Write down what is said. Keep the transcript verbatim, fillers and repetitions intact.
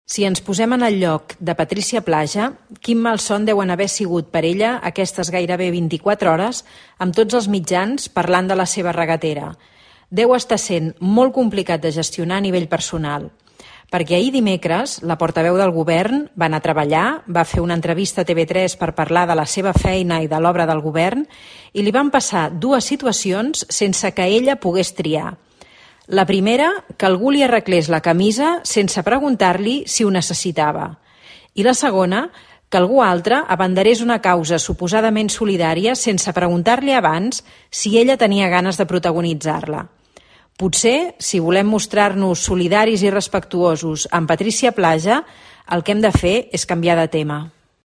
Si ens posem en el lloc de Patrícia Plaja, quin malson deuen haver sigut per ella aquestes gairebé vint-i-quatre hores amb tots els mitjans parlant de la seva regatera. Deu estar sent molt complicat de gestionar a nivell personal, perquè ahir dimecres la portaveu del govern va anar a treballar, va fer una entrevista a T V tres per parlar de la seva feina i de l'obra del govern i li van passar dues situacions sense que ella pogués triar. La primera, que algú li arreglés la camisa sense preguntar-li si ho necessitava. I la segona, que algú altre abanderés una causa suposadament solidària sense preguntar-li abans si ella tenia ganes de protagonitzar-la. Potser, si volem mostrar-nos solidaris i respectuosos amb Patrícia Plaja, el que hem de fer és canviar de tema.